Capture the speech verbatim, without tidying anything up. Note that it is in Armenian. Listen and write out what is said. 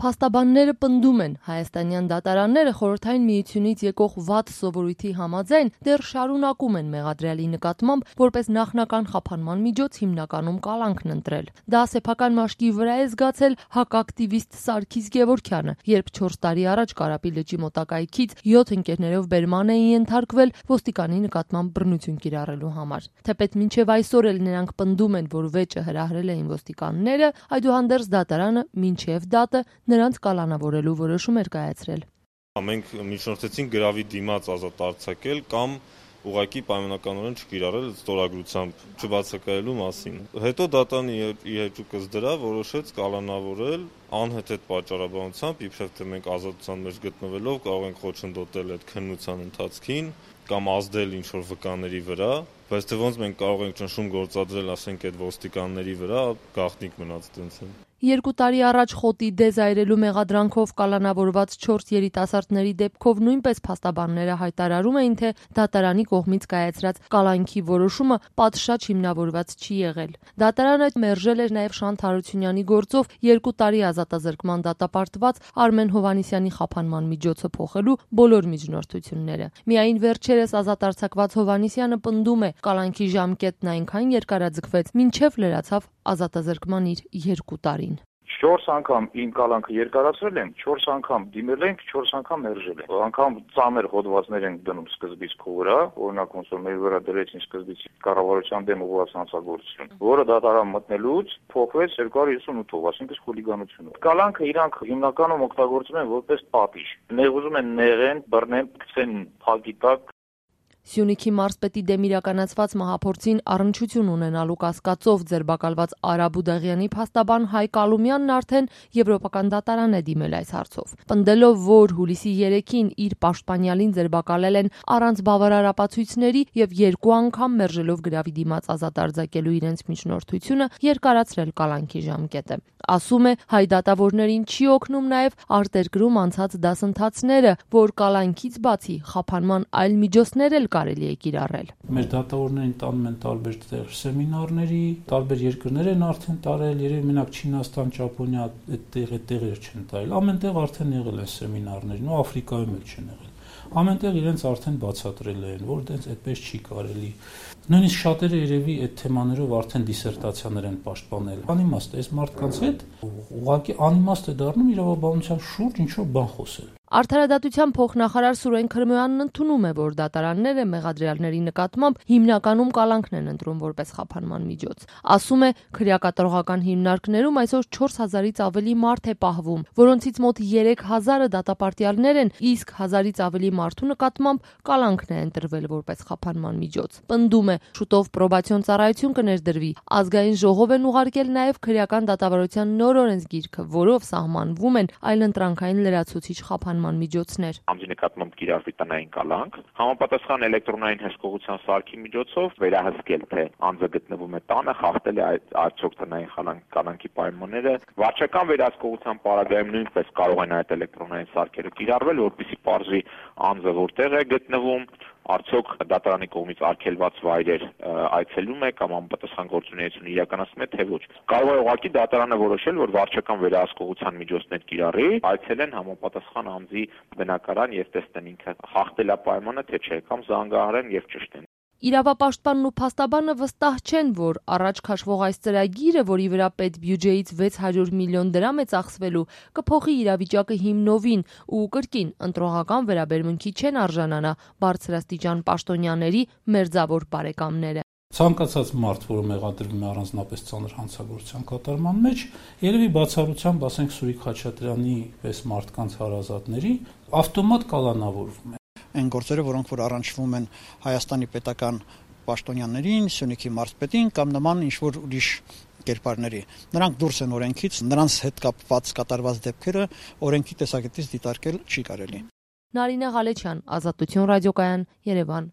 Փաստաբանները պնդում են, հայաստանյան դատարանները խորհրդային միությունից եկող վատ սովորույթի համաձայն դեռ շարունակում են մեղադրյալի նկատմամբ որպես նախնական խափանման միջոց հիմնականում կալանքն ընտրել։ Դա սեփական մաշկի վրա է զգացել հակակտիվիստ Սարգիս Գևորգյանը, երբ չորս տարի առաջ Կարապի լճի մոտակայքից յոթ ընկերներով բերման էին ենթարկվել ոստիկանի նկատմամբ բռնություն կիրառելու համար։ Թեպետ մինչև այսօր էլ նրանք պնդում են, որ վեճը հրահրել էին ոստիկանները, այդուհանդերձ դատարանը մինչև դատը նրանց կալանավորելու որոշում էր կայացրել։ Մենք միջնորդեցինք գրավի դիմաց ազատ արձակել կամ ուղղակի պայմանականորեն չկիրառել ստորագրությամբ չբացակայելու մասին։ Հետո դատարանը իր հեճուկս դրա որոշեց կալանավորել անհեթեթ պատճառաբանությամբ, իբրև թե մենք ազատության մեջ գտնվելով կարող ենք խոչընդոտել այդ քննության ընթացքին կամ ազդել ինչ-որ վկաների վրա, բայց թե ոնց մենք կարող ենք ճնշում գործադրել, ասենք, այդ ոստիկանների վրա, գաղտնիք մնաց տենց է։ Երկու տարի առաջ խոտի դեզայրելու մեղադրանքով կալանավորված չորս երիտասարդների դեպքով նույնպես փաստաբանները հայտարարում էին, թե դատարանի կողմից կայացրած կալանքի որոշումը պատշաճ հիմնավորված չի եղել։ Դատարանը մերժել էր նաև Շանթ Հարությունյանի գործով երկու տարի ազատազրկման դատապարտված Արմեն Հովհաննիսյանի խափանման միջոցը փոխելու բոլոր միջնորդությունները։ Միայն վերջերս ազատ արձակված Հովհաննիսյանը պնդում է, կալանքի ժամկետն այնքան երկարաձգվեց, մինչև լրացավ ազատազրկման իր երկու տարին։ Չորս անգամ իմ կալանքը երկարացրել եմ, չորս անգամ դիմել ենք, չորս անգամ մերժել են։ Անգամ ծանր հոդվածներ են դնում սկզբից քո վրա, օրինակ ոնց որ մեր վրա դրեցին սկզբից կառավարության դեմ ուղղված հանցագործություն, որը դատարան մտնելուց փոխվեց երկու հազար հիսունութով, այսինքն խուլիգանություն։ Կալանքը իրանք հիմնականում օգտագործում են որպես պատիժ։ Ներ ուզում են նեղեն, բռնեն, գցեն փակի տակ։ Սյունիքի մարզպետի դեմ իրականացված մահափորձին առնչություն ունենալու կասկածով ձերբակալված Արա Բուդաղյանի փաստաբան Հայկ Ալումյանն արդեն եվրոպական դատարան է դիմել այս հարցով։ Պնդելով, որ հուլիսի երեքին իր պաշտպանյալին ձերբակալել են առանց բավարար ապացույցների եւ երկու անգամ մերժելով գրավի դիմաց ազատ արձակելու իրենց միջնորդությունը, երկարացրել կալանքի ժամկետը։ Ասում է, հայ դատավորներին չի օգնում նաեւ արտերկրում անցած դասընթացները, որ կալանքից բացի խափանման այլ միջոցներ էլ կարելի է կիրառել։ Մեր դատավորներին տանում են տարբեր տեղ սեմինարների, տարբեր երկրներ են արդեն տարել, երևի մենակ Չինաստան, Ճապոնիա այդտեղ այդտեղեր չեն տարել։ Ամենտեղ արդեն եղել են սեմինարներ, ու Աֆրիկայում էլ չեն եղել։ Ամենտեղ իրենց արդեն բացատրել են, որ դենց այդպես չի կարելի։ Նույնիսկ շատերը երևի այդ թեմաներով արդեն դիսերտացիաներ են պաշտպանել։ Անիմաստ է, այս մարդկանց հետ ուղղակի անիմաստ է դառնում իրավաբանության շուրջ ինչ-որ բան խոսել։ Արդարադատության փոխնախարար Սուրեն Քրմոյանն ընդունում է, որ դատարանները մեղադրյալների նկատմամբ հիմնականում կալանքն են ընտրում որպես խափանման միջոց։ Ասում է, քրեակատարողական հիմնարկներում այսօր չորս հազարից ավելի մարդ է պահվում, որոնցից մոտ երեք հազարը դատապարտյալներ են, իսկ հազարից ավելի մարդու նկատմամբ կալանքն է ընտրվել որպես խափանման միջոց։ Պնդում է, շուտով պրոբացիոն ծառայություն կներդրվի։ Ազգային ժողով են ուղարկել նաև քրեական դատավարության նոր օրենսգիրքը, որով սահմանվում են այլընտրանքային լրացուցիչ խափանման միջոցներ։ Անձի նկատմամբ կիրառվի տնային կալանք, համապատասխան էլեկտրոնային հսկողության սարքի միջոցով վերահսկել, թե անձը գտնվում է տանը, խախտել է արդյոք տնային կալանքի պայմանները։ Վարչական վերահսկողության պարագայում նույնպես կարող են այդ էլեկտրոնային սարքերը կիրառվել, որպեսզի պարզվի անձը որտեղ է գտնվում, արդյոք դատարանի կողմից արգելված վայրեր այցելում է կամ անպատասխան գործունեություն իրականացնում է, թե ոչ։ Կարող է ուղղակի դատարանը որոշել, որ վարչական վերահսկողության միջոցներ կիրառի, այցելեն համապատասխան անձի բնակարան եւ տեսնեն ինքը խախտել է պայմանը, թե չէ, կամ զանգահարեն եւ ճշտեն։ Իրավապաշտպանն ու փաստաբանը վստահ չեն, որ առաջ քաշվող այս ծրագիրը, որի վրա պետբյուջեից վեց հարյուր միլիոն դրամ է ծախսվելու, կփոխի իրավիճակը հիմնովին ու կրկին ընտրողական վերաբերմունքի չեն արժանանա բարձրաստիճան պաշտոնյաների մերձավոր բարեկամները։ Ցանկացած մարդ, որը մեղադրվում է առանձնապես ծանր հանցագործության կատարման մեջ, երևի բացառությամբ, ասենք, Սուրիկ Խաչատրյանի պես մարդկանց հարազատների ավտոմատ կալանավորվում է։ Այն գործերը, որոնք որ առնչվում են Հայաստանի պետական պաշտոնյաներին, Սյունիքի մարզպետին կամ նման ինչ-որ ուրիշ կերպարների։ Նրանք դուրս են օրենքից, նրանց հետ կապված կատարված դեպքերը օրենքի տեսակետից դիտարկել չի կարելի։ Նարինե Ղալեչյան, Ազատություն ռադիոկայան, Երևան։